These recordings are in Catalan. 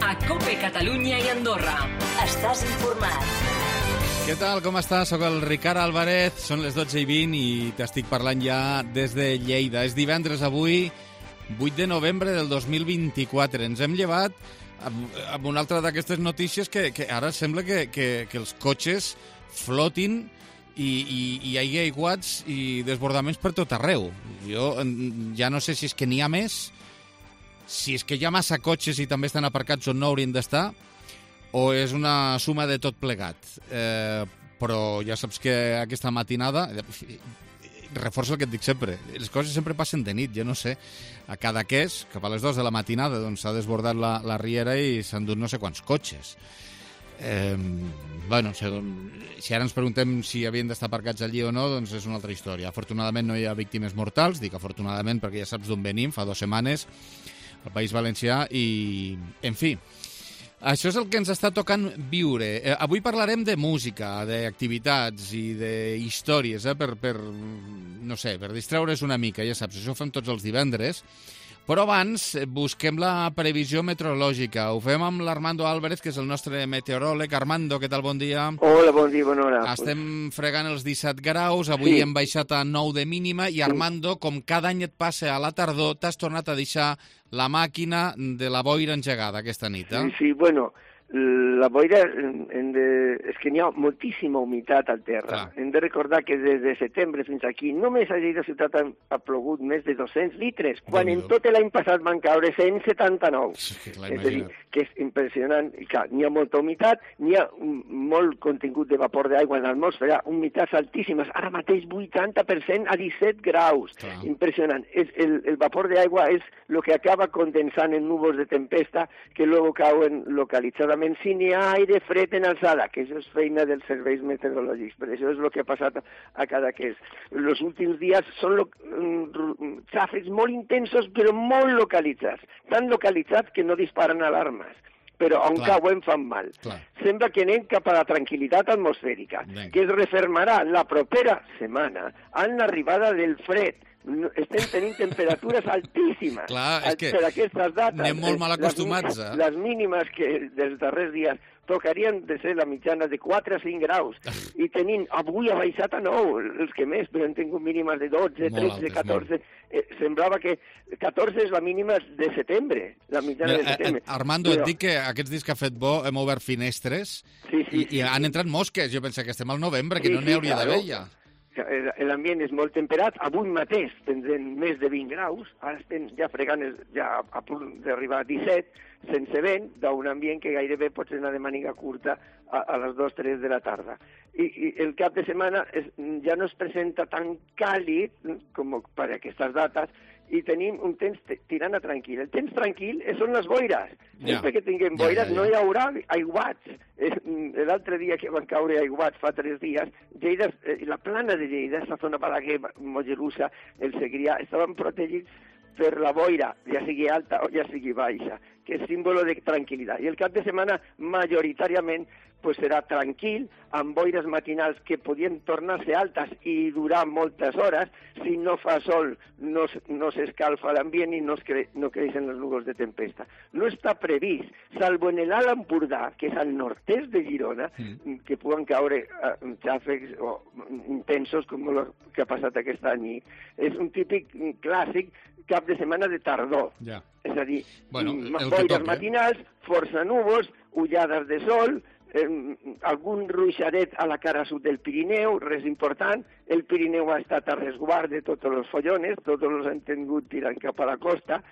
a COPE Catalunya i Andorra. Estàs informat. Què tal, com estàs? Soc el Ricard Álvarez, són les 12:20 i t'estic parlant ja des de Lleida. És divendres avui, 8 de novembre del 2024. Ens hem llevat amb una altra d'aquestes notícies que ara sembla que els cotxes flotin i hi hagi aiguats i desbordaments per tot arreu. Jo ja no sé si és que n'hi ha més, si és que hi ha massa cotxes i també estan aparcats on no haurien d'estar, o és una suma de tot plegat. Però ja saps que aquesta matinada reforça el que et dic sempre. Les coses sempre passen de nit, jo no sé. A Cadaqués, cap a les 2 de la matinada, doncs s'ha desbordat la riera i s'han dut no sé quants cotxes. Bueno, si ara ens preguntem si havien d'estar aparcats allí o no, doncs és una altra història. Afortunadament no hi ha víctimes mortals, dic afortunadament perquè ja saps d'on venim, fa 2 setmanes, al País Valencià, i, en fi, això és el que ens està tocant viure. Avui parlarem de música, d'activitats i d'històries, no sé, per distreure's una mica, ja saps, això ho fem tots els divendres. Però abans busquem la previsió meteorològica. Ho fem amb l'Armando Álvarez, que és el nostre meteoròleg. Armando, què tal? Bon dia. Hola, bon dia, bona hora. Estem fregant els 17 graus, avui hem baixat a 9 de mínima, i Armando, com cada any et passa a la tardor, t'has tornat a deixar la màquina de la boira engegada aquesta nit, eh? Sí, bueno, la boira, és que n'hi ha moltíssima humitat al terra. Clar. Hem de recordar que des de setembre fins aquí només a Lleida ciutat ha plogut més de 200 litres, quan en tot l'any passat van caure 179. És a dir, que és impressionant. I clar, n'hi ha molta humitat, n'hi ha molt contingut de vapor d'aigua en l'atmosfera, humitats altíssimes, ara mateix 80% a 17 graus. Clar. Impressionant. El vapor d'aigua és el que acaba condensant en núvols de tempesta que luego cauen localitzadament sin ni aire fred en alçada, que això és feina dels serveis meteorològics, però això és el que ha passat a Cadaqués. Els últims dies són xàfecs molt intensos però molt localitzats, tan localitzats que no disparen alarmes, però on cauen fan mal. Clar. Sembla que anem cap a la tranquil·litat atmosfèrica, que es refermarà la propera setmana amb l'arribada del fred. Estem tenint temperatures altíssimes. Clar, és que per aquestes dates. anem molt mal acostumats, eh? Les mínimes que dels darrers dies tocarien de ser la mitjana de 4 a 5 graus. I tenint, avui ha baixat a 9, els que més, però han tingut mínimes de 12, 13, 14. Semblava que 14 és la mínima de setembre, la mitjana de setembre. Armando, et dic que aquests dies que ha fet bo hem obert finestres i han entrat mosques. Jo penso que estem al novembre, que no n'hi hauria d'haver ja. L'ambient és molt temperat, avui mateix tindrem més de 20 graus, ara estem ja fregant, ja a punt d'arribar a 17, sense vent, d'un ambient que gairebé pot ser una de màniga curta a les 2-3 de la tarda. I el cap de setmana ja no es presenta tan càlid com per aquestes dates, i tenim un temps tirant a tranquil. El temps tranquil són les boires. Sempre que tinguem boires no hi haurà aiguats. L'altre dia que van caure aiguats fa 3 dies, Lleida, la plana de Lleida, la zona Balaguer, Mollerussa, el Segrià, estaven protegits per la boira, ja sigui alta o ja sigui baixa, que és símbolo de tranquil·litat. I el cap de setmana, majoritàriament, serà tranquil, amb boires matinals que podien tornar-se altes i durar moltes hores. Si no fa sol, no s'escalfa l'ambient i no creixen els núvols de tempesta. No està previst, salvo en l'Alt Empordà, que és al nord-est de Girona, que puguen caure xàfecs intensos com el que ha passat aquest any. És un típic clàssic cap de setmana de tardor. És a dir, boires matinals, força núvols, ullades de sol, algun ruixadet a la cara sud del Pirineu, res important. El Pirineu ha estat a resguard de tots els follones, tots els han tingut tirant cap a la costa,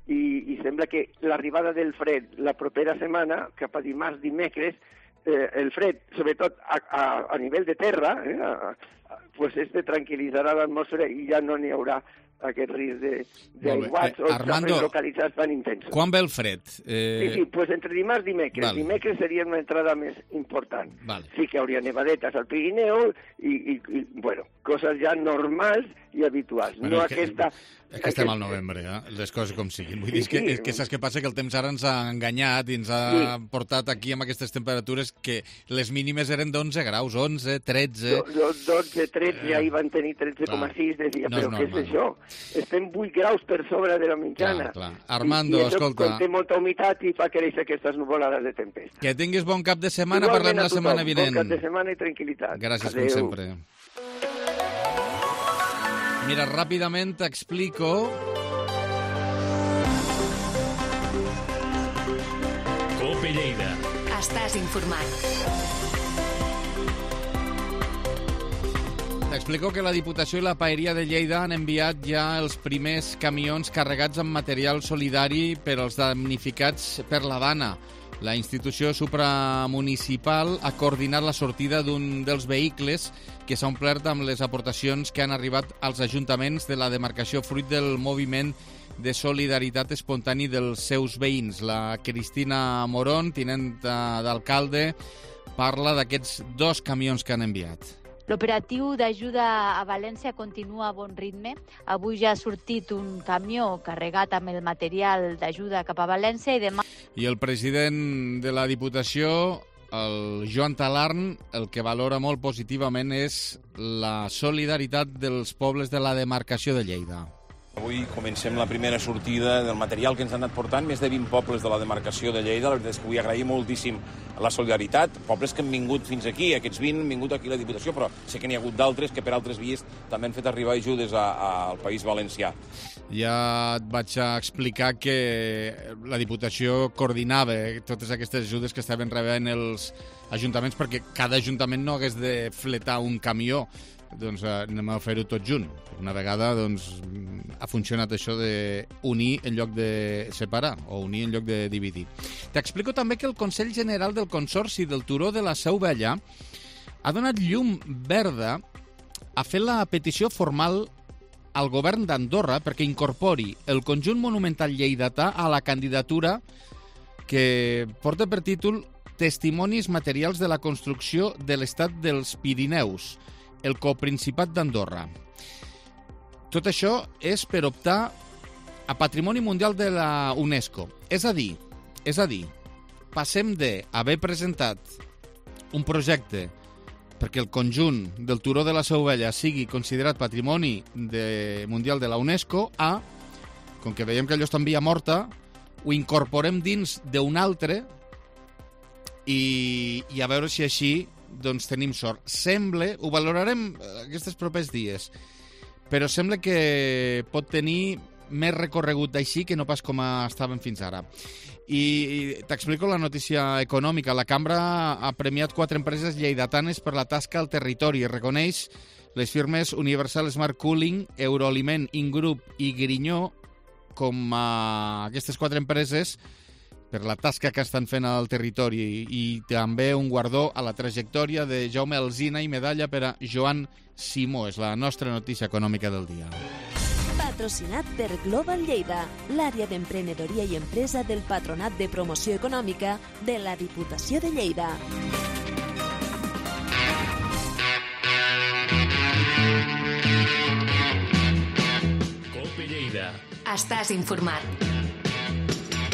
i sembla que l'arribada del fred la propera setmana, cap a dimarts, dimecres, el fred, sobretot a nivell de terra, tranquil·litzarà l'atmosfera i ja no n'hi haurà aquest risc d'aiguats o xàfecs localitzats tan intensos. Quan ve el fred? Sí, entre dimarts i dimecres. Dimecres seria una entrada més important. Sí que hauria nevadetes al Pirineu i coses ja normals i habituals. No aquesta... És que estem al novembre, les coses com siguin. Vull dir que saps què passa? Que el temps ara ens ha enganyat i ens ha portat aquí amb aquestes temperatures que les mínimes eren d'11 graus, 11, 13... 12, 13, ja hi van tenir 13,6, deia, però què és això? estem 8 graus per sobre de la mitjana. Clar. Armando, I això, escolta... quan té molta humitat i fa créixer aquestes nuvolades de tempesta. Que tinguis bon cap de setmana, parlem la setmana vinent. Bon cap de setmana i tranquil·litat. Gràcies, com sempre. Mira, ràpidament t'explico... Cope Lleida. Estàs informat. T'explico que la Diputació i la Paeria de Lleida han enviat ja els primers camions carregats amb material solidari per als damnificats per la Dana. La institució supramunicipal ha coordinat la sortida d'un dels vehicles que s'ha omplert amb les aportacions que han arribat als ajuntaments de la demarcació fruit del moviment de solidaritat espontani dels seus veïns. La Cristina Morón, tinent d'alcalde, parla d'aquests 2 camions que han enviat. L'operatiu d'ajuda a València continua a bon ritme. Avui ja ha sortit un camió carregat amb el material d'ajuda cap a València i demà... I el president de la Diputació, el Joan Talarn, el que valora molt positivament és la solidaritat dels pobles de la demarcació de Lleida. Avui comencem la primera sortida del material que ens han anat portant més de 20 pobles de la demarcació de Lleida. La veritat és que vull agrair moltíssim la solidaritat. Pobles que han vingut fins aquí, aquests 20 han vingut aquí a la Diputació, però sé que n'hi ha hagut d'altres que per altres vies també han fet arribar ajudes al País Valencià. Ja et vaig a explicar que la Diputació coordinava totes aquestes ajudes que estaven rebent els ajuntaments perquè cada ajuntament no hagués de fletar un camió. Doncs anem a fer-ho tot junt. Una vegada doncs, ha funcionat això d'unir en lloc de separar o unir en lloc de dividir. T'explico també que el Consell General del Consorci del Turó de la Seu Vella ha donat llum verda a fer la petició formal al govern d'Andorra perquè incorpori el conjunt monumental lleidatà a la candidatura que porta per títol Testimonis materials de la construcció de l'estat dels Pirineus, el coprincipat d'Andorra. Tot això és per optar a Patrimoni Mundial de la UNESCO. És a dir, passem d'haver presentat un projecte perquè el conjunt del Turó de la Seu Vella sigui considerat Patrimoni Mundial de la UNESCO a, com que veiem que allò està en via morta, ho incorporem dins d'un altre i a veure si així doncs tenim sort. Sembla, ho valorarem aquests propers dies, però sembla que pot tenir més recorregut així que no pas com estaven fins ara. I t'explico la notícia econòmica. La Cambra ha premiat 4 empreses lleidatanes per la tasca al territori. Reconeix les firmes Universal Smart Cooling, Euroaliment, Ingroup i Grinyó com a aquestes 4 empreses per la tasca que estan fent al territori i també un guardó a la trajectòria de Jaume Alsina i medalla per a Joan Simó. És la nostra notícia econòmica del dia. Patrocinat per Global Lleida, l'àrea d'emprenedoria i empresa del Patronat de Promoció Econòmica de la Diputació de Lleida. Cope Lleida. Estàs informat.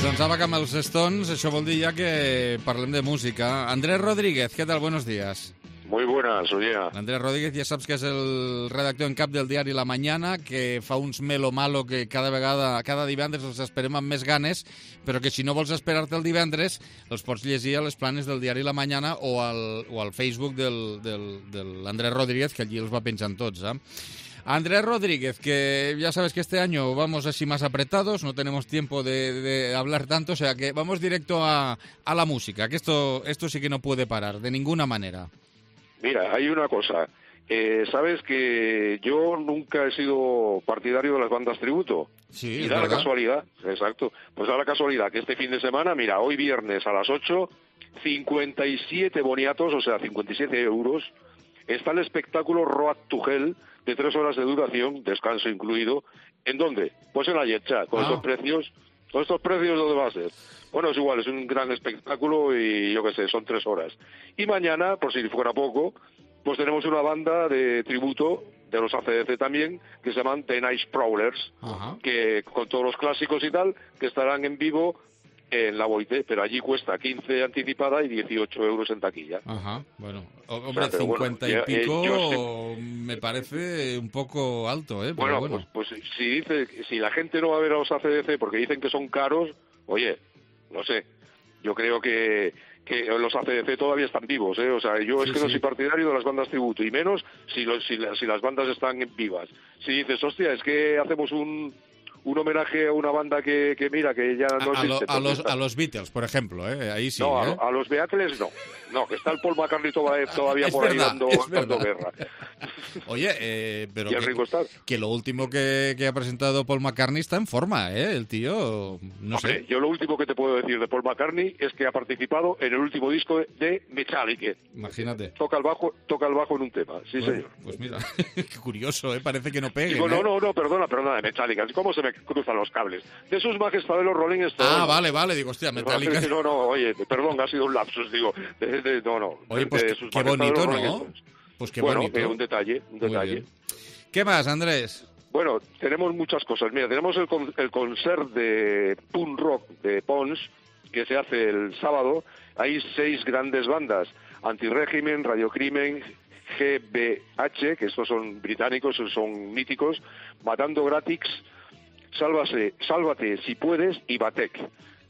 Doncs ara que amb els Stones, això vol dir ja que parlem de música. Andrés Rodríguez, ¿qué tal? Buenos días. Muy buenas, oye. Andrés Rodríguez, ja saps que és el redactor en cap del diari La Mañana, que fa uns melo-malo que cada divendres els esperem amb més ganes, però que si no vols esperar-te el divendres, els pots llegir a les planes del diari La Mañana o al Facebook de l'Andrés Rodríguez, que allí els va penjant tots, Andrés Rodríguez, que ya sabes que este año vamos así más apretados, no tenemos tiempo de hablar tanto, o sea que vamos directo a la música, que esto sí que no puede parar, de ninguna manera. Mira, hay una cosa, sabes que yo nunca he sido partidario de las bandas tributo. Sí, y da la casualidad, exacto, pues da la casualidad que este fin de semana, mira, hoy viernes a las 8, 57 boniatos, o sea, 57 euros, está el espectáculo Road to Hell, de 3 horas de duración, descanso incluido. ¿En dónde? Pues en la Yetcha, con estos precios. ¿Con estos precios dónde va a ser? Bueno, es igual, es un gran espectáculo y yo qué sé, son 3 horas. Y mañana, por si fuera poco, pues tenemos una banda de tributo de los ACDC también, que se llaman The Night Prowlers, que con todos los clásicos y tal, que estarán en vivo en la Boite, pero allí cuesta 15 anticipada y 18 euros en taquilla. Ajá, bueno. Hombre, O sea, 50 bueno, y pico yo me parece un poco alto, ¿eh? Bueno, pues si la gente no va a ver a los ACDC porque dicen que son caros, oye, no sé, yo creo que los ACDC todavía están vivos, ¿eh? O sea, yo es que no soy partidario de las bandas tributo, y menos si las bandas están vivas. Si dices, hostia, es que hacemos un homenaje a una banda que mira, que ya no existe. A los Beatles, por ejemplo, ¿eh? Ahí sí. No, ¿eh? a los Beatles no, que está el Paul McCartney todavía por ahí dando guerra. Oye, pero y el Ringo Starr. Que lo último que ha presentado Paul McCartney está en forma, ¿eh? El tío, no sé. Yo lo último que te puedo decir de Paul McCartney es que ha participado en el último disco de Metallica. Imagínate. Toca el bajo en un tema, sí, bueno, señor. Pues mira, qué curioso, ¿eh? Parece que no pegue. Digo, no, perdona, de Metallica. ¿Cómo se me cruzan los cables? De sus majestades los Rolling Stones. Ah, vale, digo, hostia, Metallica. No, oye, perdón, ha sido un lapsus, digo. No. Oye, pues qué bonito, ¿no? Pues qué bonito. Un detalle. ¿Qué más, Andrés? Bueno, tenemos muchas cosas. Mira, tenemos el concert de punk rock de Pons, que se hace el sábado. Hay 6 grandes bandas: Antirégimen, Radiocrimen, GBH, que estos son británicos, son míticos, Matando Gratis, Sálvate si puedes, y Batek.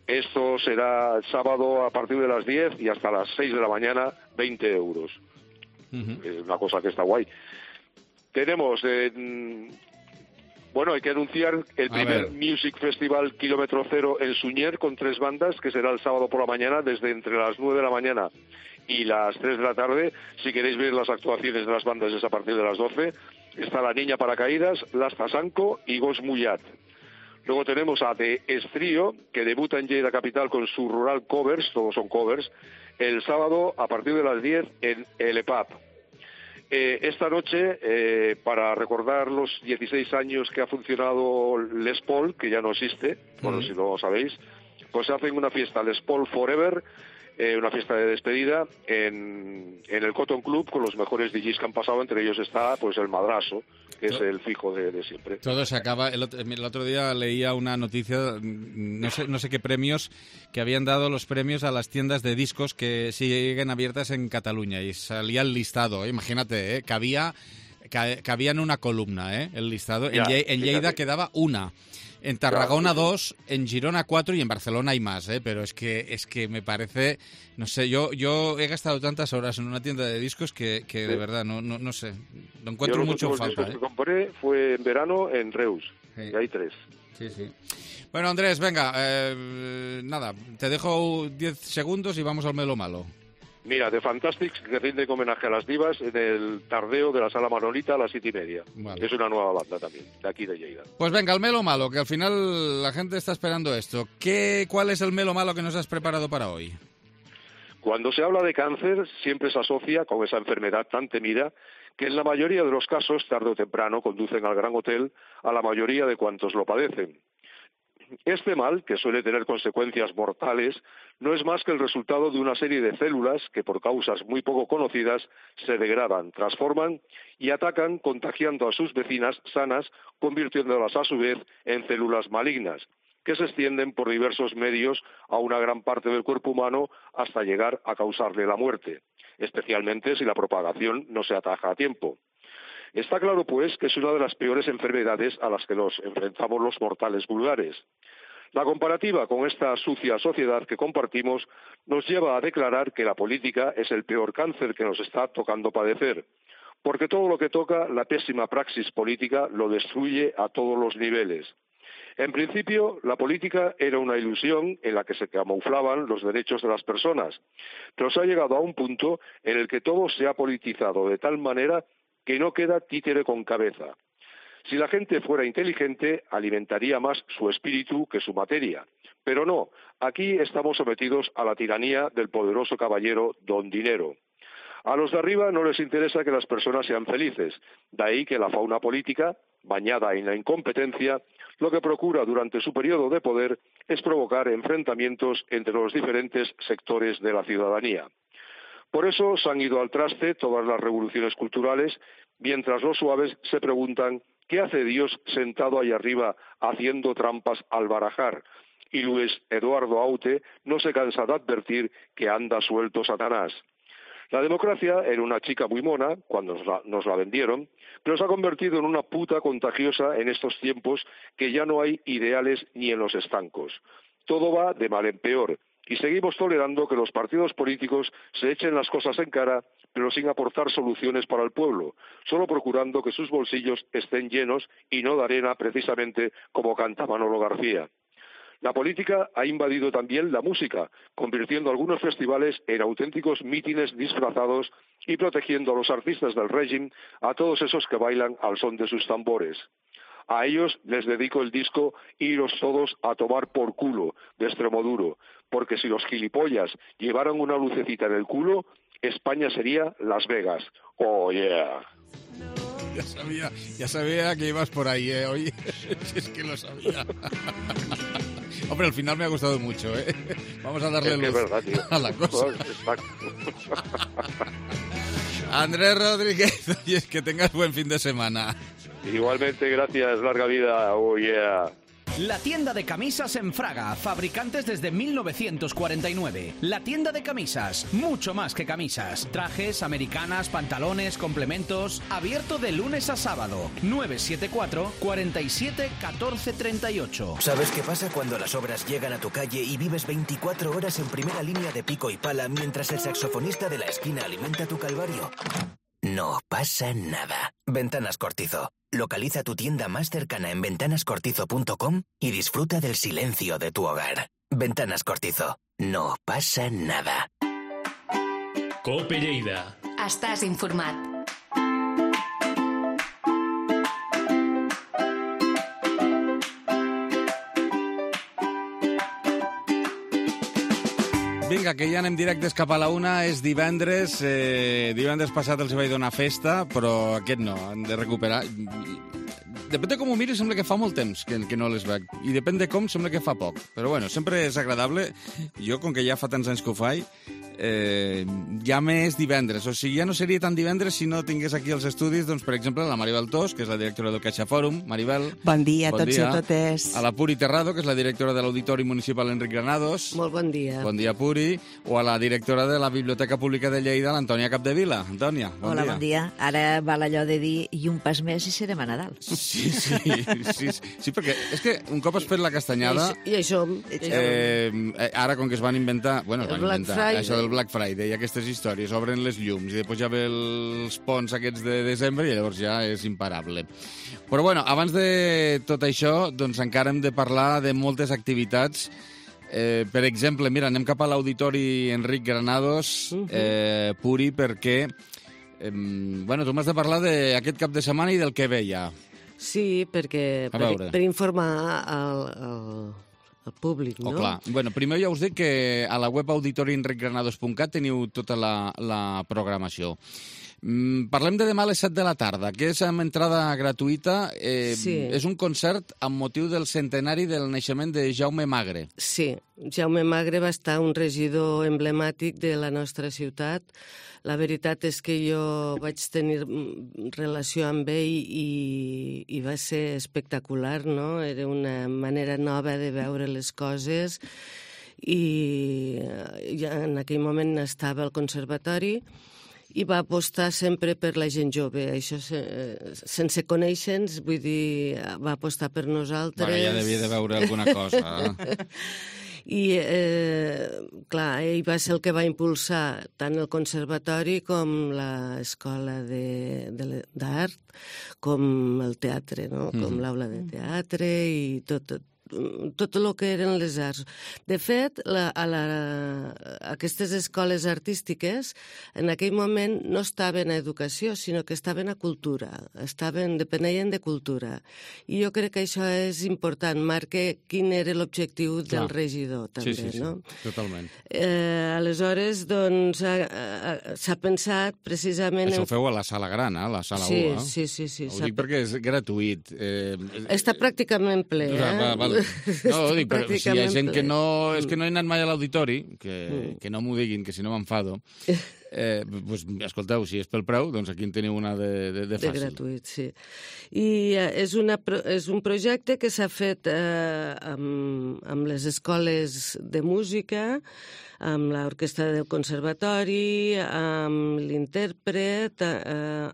Esto será el sábado a partir de las 10 y hasta las 6 de la mañana, 20 euros. Una cosa que está guay. Tenemos, hay que anunciar el primer Music Festival Kilómetro Cero en Suñer con 3 bandas, que será el sábado por la mañana, desde entre las 9 de la mañana y las 3 de la tarde. Si queréis ver las actuaciones de las bandas es a partir de las 12. Está La Niña Paracaídas, Las Tasanco y Gos Mullat. Luego tenemos a The Estrío, que debuta en Lleida Capital con su Rural Covers, todos son covers, el sábado a partir de las 10 en el EPAP. Esta noche, para recordar los 16 años que ha funcionado Les Paul, que ya no existe, bueno, si lo sabéis, pues hacen una fiesta Les Paul Forever, una fiesta de despedida en el Cotton Club con los mejores DJs que han pasado. Entre ellos está pues el Madrazo, que es el fijo de siempre. Todo se acaba. El otro día leía una noticia, no sé qué premios, que habían dado los premios a las tiendas de discos que siguen abiertas en Cataluña, y salía el listado. Imagínate, cabía en una columna, el listado. En Lleida quedaba una. En Tarragona 2, en Girona 4 y en Barcelona hay más, pero es que me parece, no sé, yo he gastado tantas horas en una tienda de discos que de verdad no sé, lo encuentro mucho en falta. Los últimos discos que compré fue en verano en Reus, y hay 3. Sí. Bueno, Andrés, venga, nada, te dejo 10 segundos y vamos al Melo Malo. Mira, The Fantastics, que rinde homenaje a las divas en el tardeo de la Sala Manolita a las 7:30. Vale. Es una nueva banda también, de aquí de Lleida. Pues venga, el Melo Malo, que al final la gente está esperando esto. ¿Cuál es el Melo Malo que nos has preparado para hoy? Cuando se habla de cáncer, siempre se asocia con esa enfermedad tan temida que en la mayoría de los casos, tarde o temprano, conducen al gran hotel a la mayoría de cuantos lo padecen. Este mal, que suele tener consecuencias mortales, no es más que el resultado de una serie de células que, por causas muy poco conocidas, se degradan, transforman y atacan, contagiando a sus vecinas sanas, convirtiéndolas a su vez en células malignas, que se extienden por diversos medios a una gran parte del cuerpo humano hasta llegar a causarle la muerte, especialmente si la propagación no se ataja a tiempo. Está claro, pues, que es una de las peores enfermedades a las que nos enfrentamos los mortales vulgares. La comparativa con esta sucia sociedad que compartimos nos lleva a declarar que la política es el peor cáncer que nos está tocando padecer, porque todo lo que toca la pésima praxis política lo destruye a todos los niveles. En principio, la política era una ilusión en la que se camuflaban los derechos de las personas, pero se ha llegado a un punto en el que todo se ha politizado de tal manera que no queda títere con cabeza. Si la gente fuera inteligente, alimentaría más su espíritu que su materia. Pero no, aquí estamos sometidos a la tiranía del poderoso caballero Don Dinero. A los de arriba no les interesa que las personas sean felices, de ahí que la fauna política, bañada en la incompetencia, lo que procura durante su periodo de poder es provocar enfrentamientos entre los diferentes sectores de la ciudadanía. Por eso se han ido al traste todas las revoluciones culturales, mientras los suaves se preguntan ¿qué hace Dios sentado ahí arriba haciendo trampas al barajar? y Luis Eduardo Aute no se cansa de advertir que anda suelto Satanás. La democracia era una chica muy mona cuando nos la vendieron, pero se ha convertido en una puta contagiosa en estos tiempos que ya no hay ideales ni en los estancos. Todo va de mal en peor y seguimos tolerando que los partidos políticos se echen las cosas en cara, pero sin aportar soluciones para el pueblo, solo procurando que sus bolsillos estén llenos y no de arena, precisamente como canta Manolo García. La política ha invadido también la música, convirtiendo algunos festivales en auténticos mítines disfrazados y protegiendo a los artistas del régimen, a todos esos que bailan al son de sus tambores. A ellos les dedico el disco Iros todos a tomar por culo, de Extremoduro, porque si los gilipollas llevaran una lucecita en el culo, España sería Las Vegas. ¡Oh, yeah! Ya sabía que ibas por ahí, ¿eh? Oye, si es que lo sabía. Hombre, al final me ha gustado mucho, ¿eh? Vamos a darle luz verdad, tío. a la cosa. Exacto. Andrés Rodríguez, oye, que tengas buen fin de semana. Igualmente, gracias, larga vida. Oh, yeah. La tienda de camisas en Fraga, fabricantes desde 1949. La tienda de camisas, mucho más que camisas. Trajes, americanas, pantalones, complementos. Abierto de lunes a sábado. 974 47 14 38. ¿Sabes qué pasa cuando las obras llegan a tu calle y vives 24 horas en primera línea de pico y pala mientras el saxofonista de la esquina alimenta tu calvario? No pasa nada. Ventanas Cortizo. Localiza tu tienda más cercana en ventanascortizo.com y disfruta del silencio de tu hogar. Ventanas Cortizo. No pasa nada. Cope Lleida. Estàs informat. Vinga, que ja anem directes cap a la una. És divendres. Divendres passat els vaig donar festa, però aquest no. Han de recuperar. Depèn de com ho miri, sembla que fa molt temps que no les veig. I depèn de com, sembla que fa poc. Però bueno, sempre és agradable. Jo, com que ja fa tants anys que ho faig, ja m'és divendres. O sigui, ja no seria tan divendres si no tingués aquí els estudis, doncs, per exemple, la Maribel Tos, que és la directora del Caixa Fòrum. Maribel. Bon dia a tots i a totes. A la Puri Terrado, que és la directora de l'Auditori Municipal Enric Granados. Molt bon dia. Bon dia, Puri. O a la directora de la Biblioteca Pública de Lleida, l'Antònia Capdevila. Antònia, bon dia. Hola, bon dia. Ara val allò de dir i un pas més i serem a Nadal. Sí, perquè és que un cop has fet la castanyada... I això... Ara, com que es van inventar... Bueno, es van inventar això del Black Friday i aquestes històries, obren les llums i després ja ve els ponts aquests de desembre i llavors ja és imparable. Però bueno, abans de tot això, doncs encara hem de parlar de moltes activitats. Per exemple, mira, anem cap a l'Auditori Enric Granados, Puri, perquè bueno, tu m'has de parlar d'aquest cap de setmana i del que ve ja. Sí, perquè per informar el públic, no? Clar. Bueno, primer ja us dic que a la web auditorienricgranados.cat teniu tota la programació. Parlem de demà a les 7 de la tarda, que és amb entrada gratuïta. Sí. És un concert amb motiu del centenari del naixement de Jaume Magre. Sí, Jaume Magre va estar un regidor emblemàtic de la nostra ciutat. La veritat és que jo vaig tenir relació amb ell i va ser espectacular, no? Era una manera nova de veure les coses i ja en aquell moment estava al conservatori i va apostar sempre per la gent jove. Això sense conèixer-nos, vull dir, va apostar per nosaltres. Bueno, ja devia de veure alguna cosa. I, clar, ell va ser el que va impulsar tant el conservatori com l'escola d'art, com el teatre, no? Com l'aula de teatre i tot el que eren les arts. De fet, aquestes escoles artístiques en aquell moment no estaven a educació, sinó que estaven a cultura, depenien de cultura. I jo crec que això és important, marca quin era l'objectiu del regidor, també, no? Sí, totalment. Aleshores, doncs, s'ha pensat precisament... Això ho feu a la sala gran, a la sala 1, Sí. Ho dic perquè és gratuït. Està pràcticament ple, Vale. No, ho dic, però si hi ha gent que no... És que no he anat mai a l'auditori, que no m'ho diguin, que si no m'enfado. Doncs, escolteu, si és pel preu, doncs aquí en teniu una de fàcil. De gratuït, sí. I és un projecte que s'ha fet amb amb les escoles de música, amb l'orquestra del conservatori, amb l'intèrpret,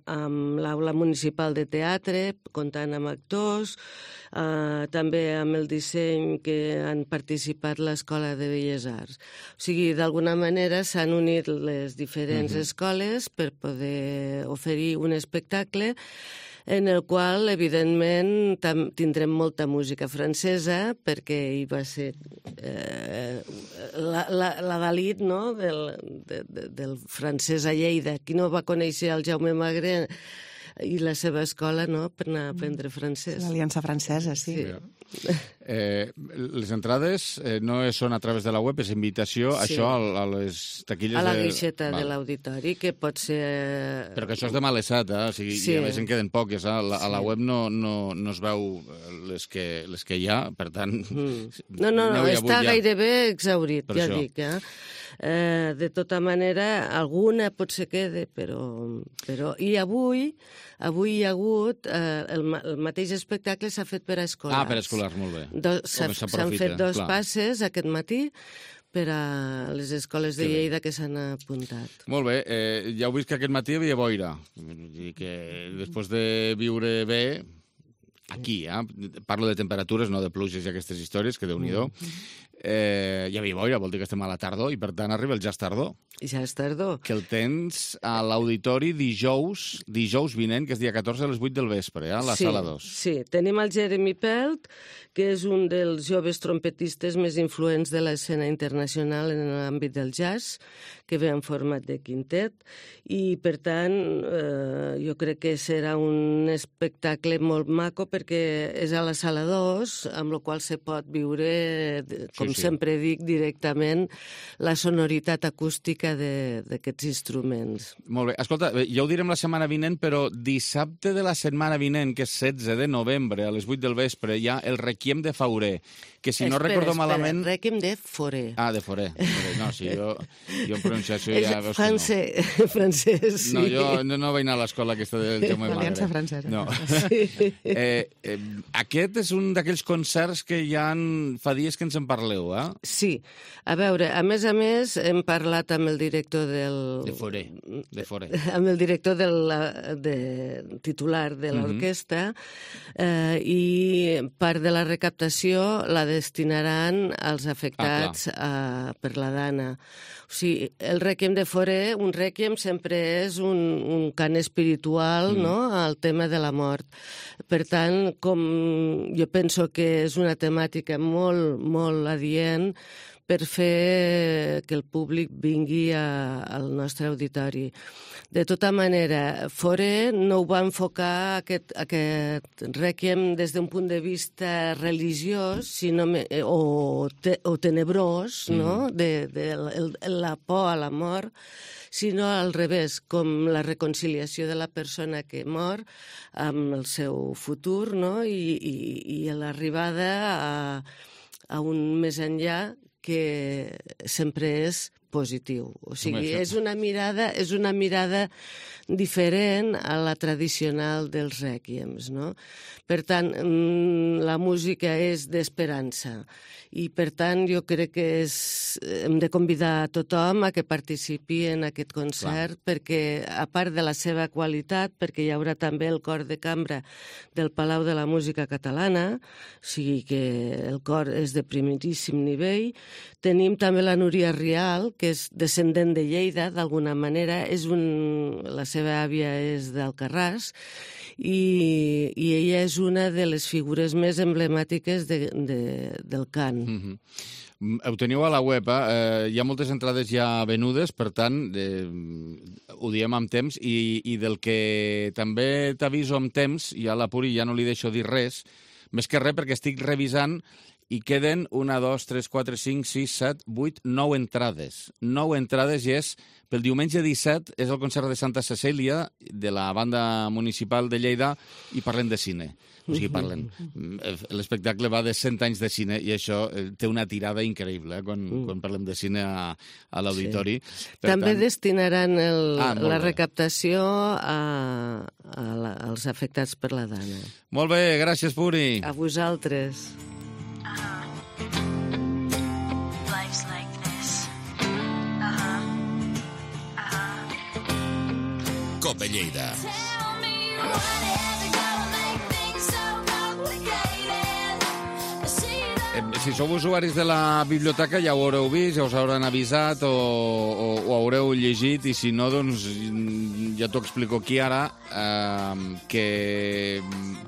amb l'aula municipal de teatre, comptant amb actors, també amb el disseny que han participat l'Escola de Belles Arts. O sigui, d'alguna manera s'han unit les diferents escoles per poder oferir un espectacle en el qual, evidentment, tindrem molta música francesa, perquè hi va ser la Dalit, no?, del francès a Lleida. Qui no va conèixer el Jaume Magré i la seva escola, no?, per anar a aprendre francès. L'Aliança Francesa, sí. Les entrades no són a través de la web, és invitació, això a les taquilles... A la guixeta de l'auditori, que pot ser... Però que això és de malesat, o sigui, i a més en queden poques. A la web no es veu les que hi ha, per tant... No, està gairebé exhaurit, ja dic, de tota manera, alguna potser quede, però... I avui hi ha hagut... El mateix espectacle s'ha fet per a escolars. Per a escolars, molt bé. S'han fet 2 passes aquest matí per a les escoles de Lleida que s'han apuntat. Molt bé. Ja heu vist que aquest matí hi havia boira. I que després de viure bé... Aquí, parlo de temperatures, no de pluges i aquestes històries, que Déu-n'hi-do. Hi havia boira, vol dir que estem a la tardor, i per tant arriba el Jazz Tardor. Jazz Tardor. Que el tens a l'auditori dijous vinent, que és dia 14 a les 8 del vespre, a la sala 2. Sí, tenim el Jeremy Pelt, que és un dels joves trompetistes més influents de l'escena internacional en l'àmbit del jazz, que ve en format de quintet, i per tant jo crec que serà un espectacle molt maco perquè és a la sala 2, amb la qual se pot viure, com sempre dic, directament la sonoritat acústica d'aquests instruments. Molt bé. Escolta, ja ho direm la setmana vinent, però dissabte de la setmana vinent, que és 16 de novembre, a les 8 del vespre, hi ha el Requiem de Fauré, que si no recordo malament... Requiem de Fauré. De Fauré. No, sí, jo en pronunciació ja veus que no. Francès, sí. No, jo no vaig anar a l'escola aquesta del Jaume Magre. L'Aliança Francesa. No. Aquest és un d'aquells concerts que ja fa dies que ens en parleu, Sí. A veure, a més, hem parlat amb el director del... De Fauré. Amb el director titular de l'orquestra i part de la recaptació la destinaran als afectats per la Dana. O sigui, el Requiem de Fauré, un Requiem sempre és un cant espiritual, no?, al tema de la mort. Per tant, jo penso que és una temàtica molt, molt adient per fer que el públic vingui al nostre auditori. De tota manera, Fauré no ho va enfocar aquest Requiem des d'un punt de vista religiós o tenebrós, no?, de la por a la mort, sinó al revés, com la reconciliació de la persona que mor amb el seu futur, no?, i l'arribada a un més enllà que sempre és positiu. O sigui, és una mirada diferent a la tradicional dels rèquiems, no? Per tant, la música és d'esperança i, per tant, jo crec que hem de convidar a tothom a que participi en aquest concert perquè, a part de la seva qualitat, perquè hi haurà també el cor de cambra del Palau de la Música Catalana, o sigui que el cor és de primeríssim nivell. Tenim també la Núria Rial, que és descendent de Lleida, d'alguna manera, la seva àvia és d'Alcarràs, i ella és una de les figures més emblemàtiques del cant. Ho teniu a la web, hi ha moltes entrades ja venudes, per tant, ho diem amb temps, i del que també t'aviso amb temps, i a la Puri ja no li deixo dir res, més que res perquè estic revisant i queden 1, 2, 3, 4, 5, 6, 7, 8, 9 entrades. 9 entrades i és pel diumenge 17, és el concert de Santa Cecília de la banda municipal de Lleida i parlem de cine. O sigui, l'espectacle va de 100 anys de cine i això té una tirada increïble quan parlem de cine a l'auditori. També destinaran la recaptació als afectats per la Dana. Molt bé, gràcies, Puri. A vosaltres. COPE Lleida. Si sou usuaris de la biblioteca ja ho haureu vist, ja us hauran avisat o ho haureu llegit, i si no, doncs ja t'ho explico aquí ara, que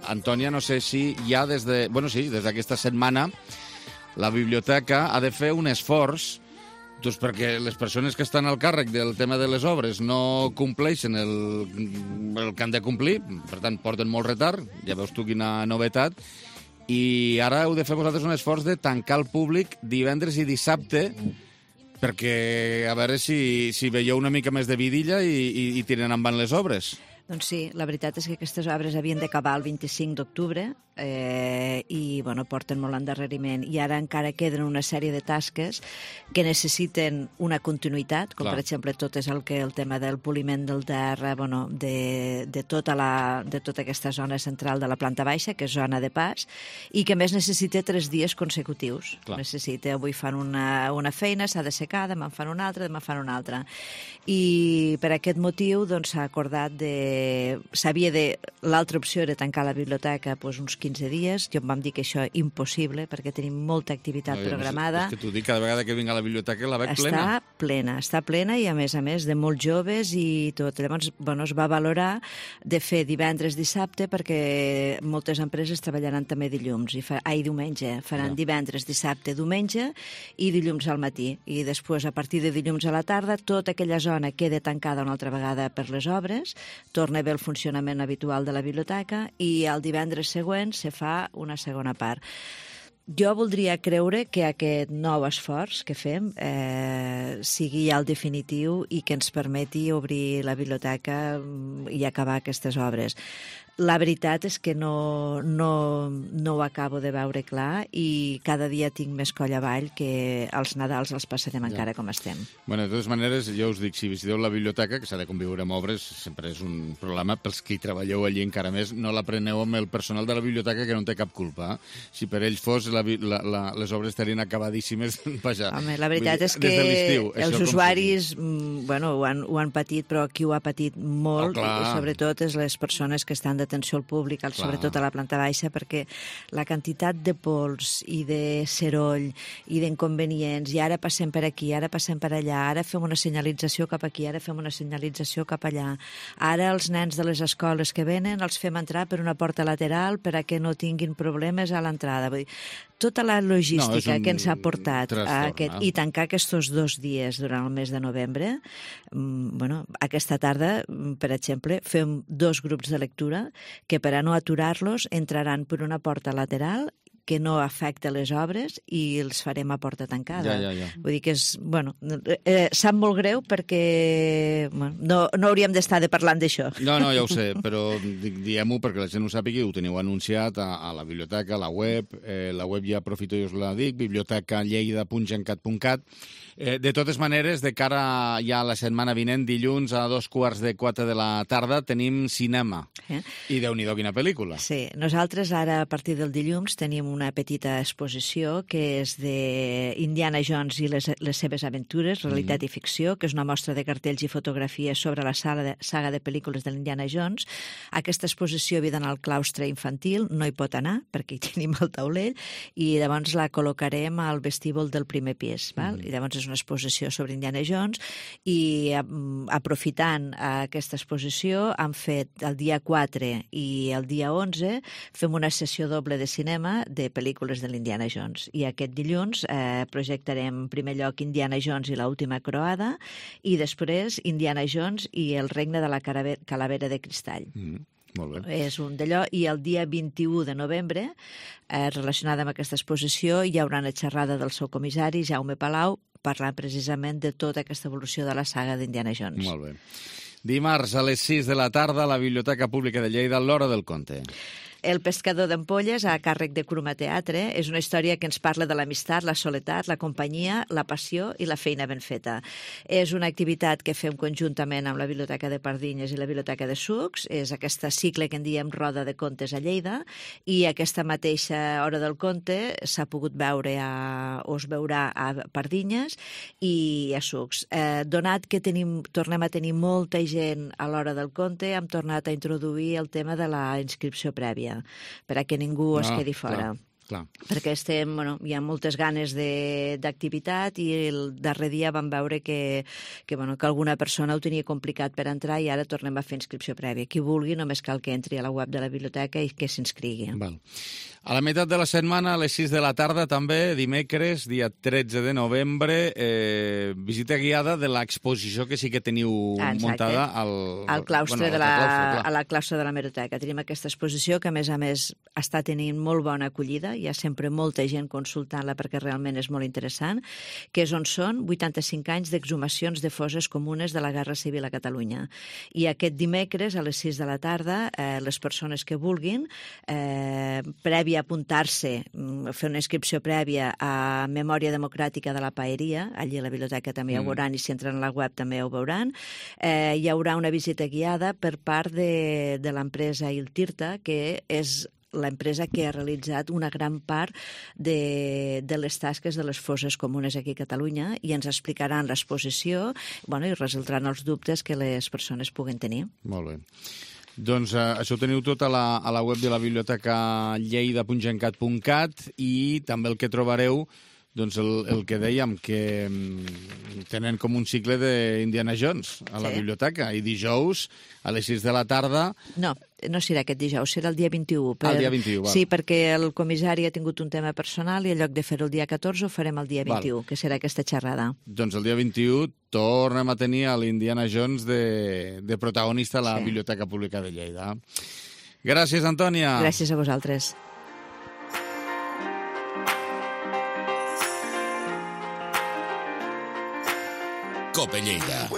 Antònia, no sé si ja des d'aquesta setmana la biblioteca ha de fer un esforç doncs perquè les persones que estan al càrrec del tema de les obres no compleixen el que han de complir, per tant porten molt retard, ja veus tu quina novetat, i ara heu de fer vosaltres un esforç de tancar el públic divendres i dissabte perquè a veure si veieu una mica més de vidilla i tiren endavant les obres. Doncs sí, la veritat és que aquestes obres havien d'acabar el 25 d'octubre i porten molt endarreriment. I ara encara queden una sèrie de tasques que necessiten una continuïtat, com per exemple tot és el tema del poliment del terra, de tota aquesta zona central de la planta baixa, que és zona de pas, i que més necessita 3 dies consecutius. Avui fan una feina, s'ha de secar, demà en fan una altra, demà fan una altra. I per aquest motiu s'ha acordat l'altra opció era tancar la biblioteca uns 15 dies. Jo em vam dir que això impossible, perquè tenim molta activitat programada. És que t'ho dic, cada vegada que vinc a la biblioteca la veig plena. Està plena i a més de molts joves i tot. Llavors, es va valorar de fer divendres, dissabte, perquè moltes empreses treballaran també diumenge. Faran divendres, dissabte, diumenge i dilluns al matí. I després, a partir de dilluns a la tarda, tota aquella zona queda tancada una altra vegada per les obres, torna a haver el funcionament habitual de la biblioteca i el divendres següent se fa una segona part. Jo voldria creure que aquest nou esforç que fem sigui ja el definitiu i que ens permeti obrir la biblioteca i acabar aquestes obres. La veritat és que no ho acabo de veure clar i cada dia tinc més coll avall que els Nadals els passarem encara com estem. De totes maneres, jo us dic, si visiteu la biblioteca, que s'ha de conviure amb obres, sempre és un problema. Pels que hi treballeu allí encara més, no la preneu amb el personal de la biblioteca, que no en té cap culpa. Si per ells fos, les obres estarien acabadíssimes. Home, la veritat és que els usuaris ho han patit, però qui ho ha patit molt, i sobretot és les persones que estan d'atenció al públic, sobretot a la planta baixa, perquè la quantitat de pols i de seroll i d'inconvenients, i ara passem per aquí, ara passem per allà, ara fem una senyalització cap aquí, ara fem una senyalització cap allà, ara els nens de les escoles que venen els fem entrar per una porta lateral perquè no tinguin problemes a l'entrada. Vull dir, tota la logística que ens ha portat i tancar aquests 2 dies durant el mes de novembre, aquesta tarda, per exemple, fem 2 grups de lectura que per a no aturar-los entraran per una porta lateral que no afecta les obres i els farem a porta tancada. Vull dir que sap molt greu perquè no hauríem d'estar parlant d'això. No, ja ho sé, però diem-ho perquè la gent ho sàpigui, ho teniu anunciat a la biblioteca, a la web ja aprofito i us la dic, bibliotecalleida.gencat.cat. De totes maneres, de cara ja a la setmana vinent, dilluns a 3:15 de la tarda, tenim cinema. I Déu-n'hi-do, quina pel·lícula. Sí, nosaltres ara, a partir del dilluns, tenim una petita exposició que és d'Indiana Jones i les seves aventures, realitat i ficció, que és una mostra de cartells i fotografies sobre la saga de pel·lícules de l'Indiana Jones. Aquesta exposició havia d'anar al claustre infantil, no hi pot anar, perquè hi tenim el taulell, i llavors la col·locarem al vestíbul del primer pis. I llavors és una exposició sobre Indiana Jones i aprofitant aquesta exposició han fet el dia 4 i el dia 11 fem una sessió doble de cinema de pel·lícules de l'Indiana Jones i aquest dilluns projectarem en primer lloc Indiana Jones i l'última croada i després Indiana Jones i el regne de la calavera de cristall. Molt bé. És un d'allò, i el dia 21 de novembre, relacionada amb aquesta exposició, hi haurà una xerrada del seu comissari, Jaume Palau, parlant precisament de tota aquesta evolució de la saga d'Indiana Jones. Molt bé. Dimarts a les 6 de la tarda a la Biblioteca Pública de Lleida, l'Hora del Conte. El pescador d'ampolles, a càrrec de Cruma Teatre, és una història que ens parla de l'amistat, la soledat, la companyia, la passió i la feina ben feta. És una activitat que fem conjuntament amb la Biblioteca de Pardinyes i la Biblioteca de Sucs. És aquesta cicle que en diem Roda de Contes a Lleida, i aquesta mateixa Hora del Conte s'ha pogut veure o es veurà a Pardinyes i a Sucs. Donat que tornem a tenir molta gent a l'Hora del Conte, hem tornat a introduir el tema de la inscripció prèvia, per a que ningú es quedi fora. Clar. Perquè hi ha moltes ganes d'activitat i el darrer dia vam veure que alguna persona ho tenia complicat per entrar i ara tornem a fer inscripció prèvia. Qui vulgui només cal que entri a la web de la biblioteca i que s'inscrigui. A la meitat de la setmana, a les 6 de la tarda, també, dimecres, dia 13 de novembre, visita guiada de l'exposició que sí que teniu muntada al claustre de la claustre de la Hemeroteca. Tenim aquesta exposició que, a més, està tenint molt bona acollida. Hi ha sempre molta gent consultant-la perquè realment és molt interessant, que és on són 85 anys d'exhumacions de fosses comunes de la Guerra Civil a Catalunya. I aquest dimecres, a les 6 de la tarda, les persones que vulguin, prèvia apuntar-se, fer una inscripció prèvia a Memòria Democràtica de la Paeria, allí a la biblioteca també ho veuran, i si entren a la web també ho veuran, hi haurà una visita guiada per part de l'empresa IlTirta, que és l'empresa que ha realitzat una gran part de les tasques de les fosses comunes aquí a Catalunya, i ens explicaran l'exposició i resoldran els dubtes que les persones puguen tenir. Molt bé. Doncs això ho teniu tot a la web de la biblioteca lleida.gencat.cat, i també el que trobareu, doncs el que dèiem, que tenen com un cicle d'Indiana Jones a la biblioteca, i dijous a les 6 de la tarda... No serà aquest dijous, serà el dia 21. El dia 21, val. Sí, perquè el comissari ha tingut un tema personal i en lloc de fer-ho el dia 14 ho farem el dia 21, que serà aquesta xerrada. Doncs el dia 21 tornem a tenir a l'Indiana Jones de protagonista a la Biblioteca Pública de Lleida. Gràcies, Antònia. Gràcies a vosaltres. Cope Lleida.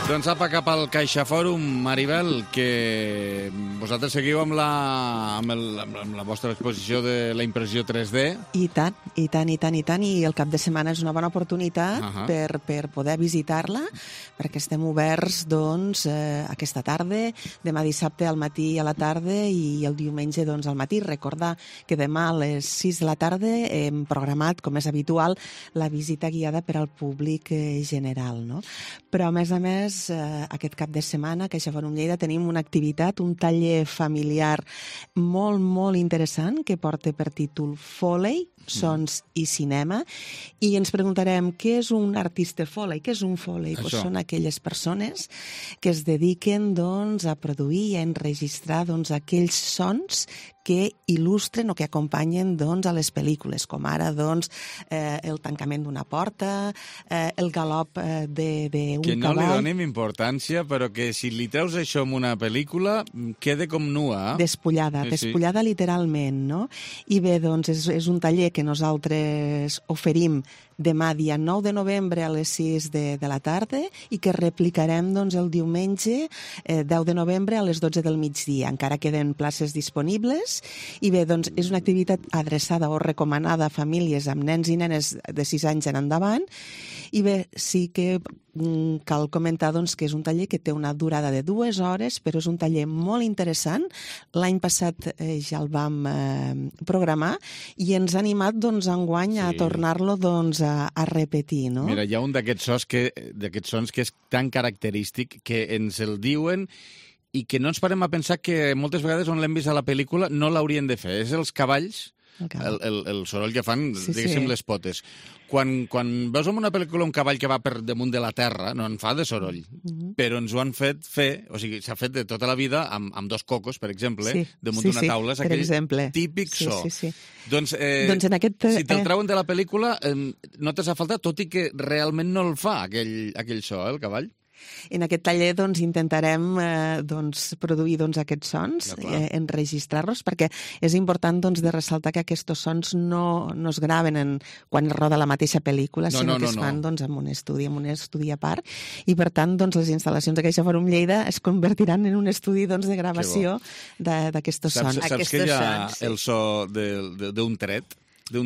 Doncs apa cap al CaixaFòrum, Maribel, que vosaltres seguiu amb la vostra exposició de la impressió 3D. I tant, i el cap de setmana és una bona oportunitat per poder visitar-la, perquè estem oberts, doncs, aquesta tarda, demà dissabte al matí i a la tarda, i el diumenge, doncs, al matí. Recordar que demà a les 6 de la tarda hem programat, com és habitual, la visita guiada per al públic general, no? Però, a més, aquest cap de setmana a CaixaFòrum Lleida tenim una activitat, un taller familiar molt, molt interessant que porta per títol Foley, sons i cinema, i ens preguntarem què és un artista Foley, què és un Foley? Doncs són aquelles persones que es dediquen, doncs, a produir i a enregistrar, doncs, aquells sons que il·lustren o que acompanyen, doncs, a les pel·lícules, com ara, doncs, el tancament d'una porta, el galop d'un cavall... Que no li donem importància, però que si li treus això en una pel·lícula, queda com nua. Despullada literalment, no? I bé, doncs, és un taller que nosaltres oferim demà, dia 9 de novembre, a les 6 de la tarda, i que replicarem, doncs, el diumenge 10 de novembre a les 12 del migdia. Encara queden places disponibles, i bé, doncs, és una activitat adreçada o recomanada a famílies amb nens i nenes de 6 anys en endavant, i bé, sí que cal comentar, doncs, que és un taller que té una durada de 2 hores, però és un taller molt interessant. L'any passat ja el vam programar i ens ha animat, doncs, enguany a tornar-lo, doncs, a repetir, no? Mira, hi ha un d'aquests sons que és tan característic que ens el diuen i que no ens parem a pensar que moltes vegades on l'hem vist a la pel·lícula no l'haurien de fer. És els cavalls, el soroll que fan, diguéssim, les potes. Quan veus en una pel·lícula un cavall que va per damunt de la terra, no en fa de soroll, però ens ho han fet fer, o sigui, s'ha fet de tota la vida amb 2 cocos, per exemple, damunt d'una taula, és aquell típic so. Doncs si te'l treuen de la pel·lícula, no t'has a faltar, tot i que realment no el fa aquell so, el cavall. En aquest taller doncs, intentarem produir aquests sons, enregistrar-los, perquè és important de ressaltar que aquests sons no es graven quan es roda la mateixa pel·lícula, sinó que es fan en un estudi a part, i per tant les instal·lacions de CaixaForum Lleida es convertiran en un estudi de gravació d'aquests sons. Saps que hi ha el so d'un tret? I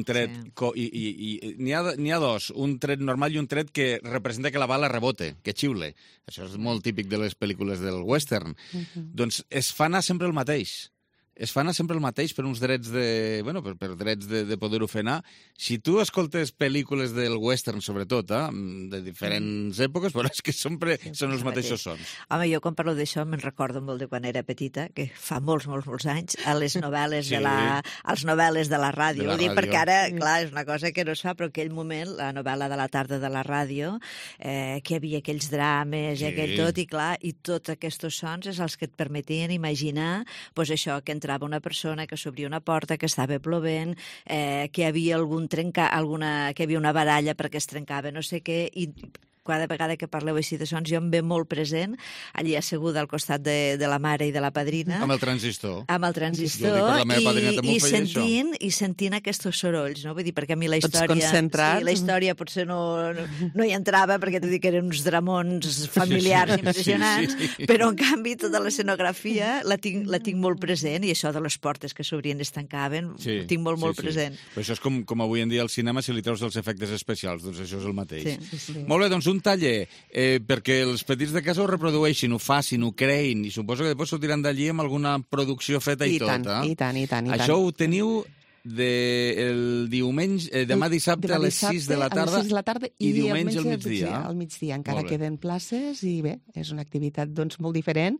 n'hi ha dos, un tret normal i un tret que representa que la bala rebote, que xiule. Això és molt típic de les pel·lícules del western. Doncs es fa anar sempre el mateix. Es fa anar sempre el mateix per uns drets per drets de poder-ho fer anar. Si tu escoltes pel·lícules del western, sobretot, de diferents èpoques, veuràs que sempre són els mateixos sons. Home, jo quan parlo d'això me'n recordo molt de quan era petita, que fa molts anys, a les novel·les de la ràdio. Vull dir, perquè ara, clar, és una cosa que no es fa, però en aquell moment, la novel·la de la tarda de la ràdio, que hi havia aquells drames i aquell tot, i clar, i tots aquests sons és els que et permetien imaginar, doncs això, que entrava una persona, que s'obria una porta, que estava plovent, que hi havia que hi havia una baralla perquè es trencava no sé què, i cada vegada que parleu així de sons, jo em ve molt present, allí asseguda al costat de la mare i de la padrina. Amb el transistor. Amb el transistor, i sentint aquests sorolls, no? Vull dir, perquè a mi la història potser no hi entrava, perquè t'ho dic que eren uns dramons familiars impressionants, però en canvi tota l'escenografia la tinc molt present, i això de les portes que s'obrien i es tancaven, ho tinc molt present. Però això és com avui en dia al cinema, si li treus els efectes especials, doncs això és el mateix. Molt bé, doncs un taller perquè els petits de casa ho reprodueixin, ho facin, ho creïn, i suposo que després sortiran d'allí amb alguna producció feta i tot. I tant. Això ho teniu el diumenge, demà dissabte a les 6 de la tarda i diumenge al migdia. Al migdia encara queden places i bé, és una activitat molt diferent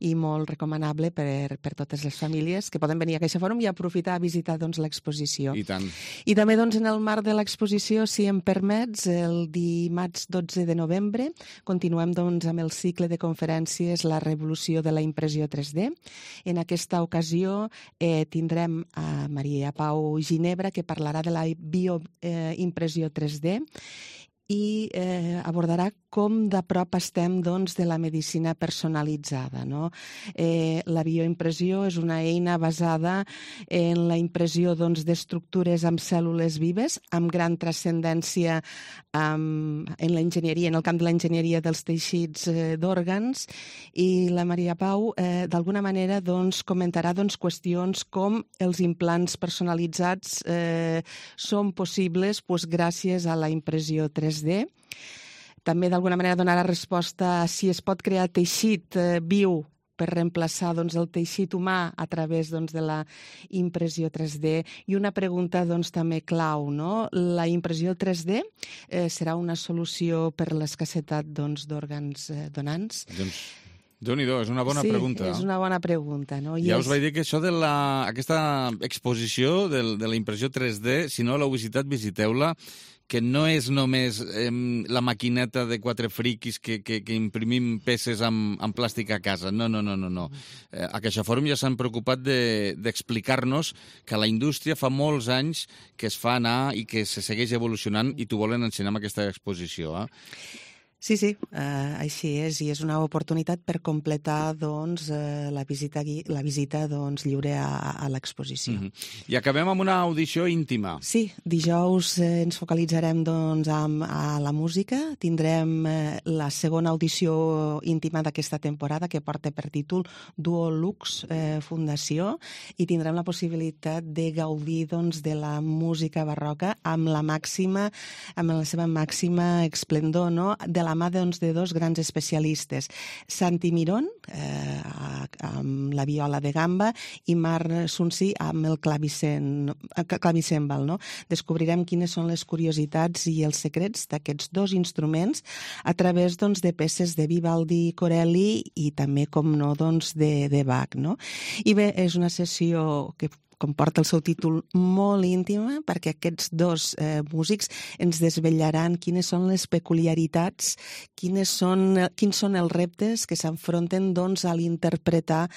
i molt recomanable per totes les famílies que poden venir a CaixaForum i aprofitar a visitar l'exposició. I tant. I també en el marc de l'exposició, si em permets, el dimarts 12 de novembre continuem amb el cicle de conferències La revolució de la impressió 3D. En aquesta ocasió tindrem a Maria Pau Ginebra, que parlarà de la bioimpressió 3D i abordarà com de prop estem de la medicina personalitzada. La bioimpressió és una eina basada en la impressió d'estructures amb cèl·lules vives, amb gran transcendència en l'enginyeria, en el camp de l'enginyeria dels teixits d'òrgans, i la Maria Pau d'alguna manera comentarà qüestions com els implants personalitzats són possibles gràcies a la impressió 3D. També d'alguna manera donarà resposta a si es pot crear teixit viu per reemplaçar el teixit humà a través de la impressió 3D. I una pregunta també clau, no? La impressió 3D serà una solució per l'escassetat d'òrgans donants? Déu-n'hi-do, és una bona pregunta. Sí, és una bona pregunta. Ja us vaig dir que això aquesta exposició de la impressió 3D, si no l'heu visitat, visiteu-la, que no és només la maquineta de quatre friquis que imprimim peces amb plàstic a casa. No. A CaixaForum ja s'han preocupat d'explicar-nos que la indústria fa molts anys que es fa anar i que se segueix evolucionant, i t'ho volen ensenyar amb aquesta exposició. Sí, així és, i és una oportunitat per completar la visita lliure a l'exposició. I acabem amb una audició íntima. Sí, dijous ens focalitzarem a la música. Tindrem la segona audició íntima d'aquesta temporada, que porta per títol Duo Lux Fundació, i tindrem la possibilitat de gaudir de la música barroca amb la seva màxima esplendor, de la mà de dos grans especialistes, Santi Mirón, amb la viola de gamba, i Marc Sunsi amb el clavicèmbal. Descobrirem quines són les curiositats i els secrets d'aquests dos instruments a través de peces de Vivaldi, Corelli i també, com no, de Bach. I bé, és una sessió que com porta el seu títol, molt íntima, perquè aquests dos músics ens desvetllaran quines són les peculiaritats, quins són els reptes que s'enfronten doncs, a l'interpretar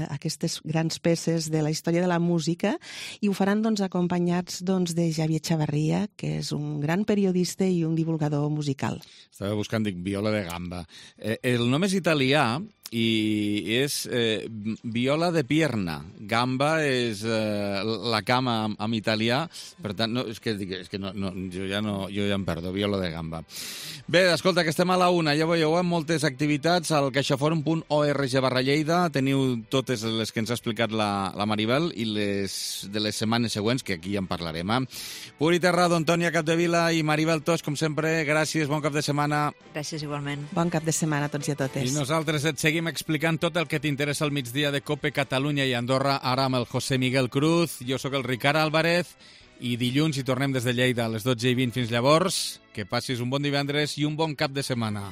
aquestes grans peces de la història de la música, i ho faran doncs, acompanyats doncs, de Xavier Chavarria, que és un gran periodista i un divulgador musical. Estava buscant, dic, viola de gamba. El nom és italià i és viola de pierna. Gamba és la cama en italià, per tant, no, és que jo ja em perdo, viola de gamba. Bé, escolta, que estem a la una, ja veieu, amb moltes activitats al caixaforum.org/Lleida, teniu totes les que ens ha explicat la Maribel i les de les setmanes següents, que aquí ja en parlarem. Puri Terrado, Antònia Capdevila i Maribel Tos, com sempre, gràcies, bon cap de setmana. Gràcies, igualment. Bon cap de setmana a tots i a totes. I nosaltres et seguim explicant tot el que t'interessa al migdia de COPE Catalunya i Andorra, ara amb el José Miguel Cruz. Jo sóc el Ricard Álvarez i dilluns hi tornem des de Lleida a les 12:20. Fins llavors, que passis un bon divendres i un bon cap de setmana.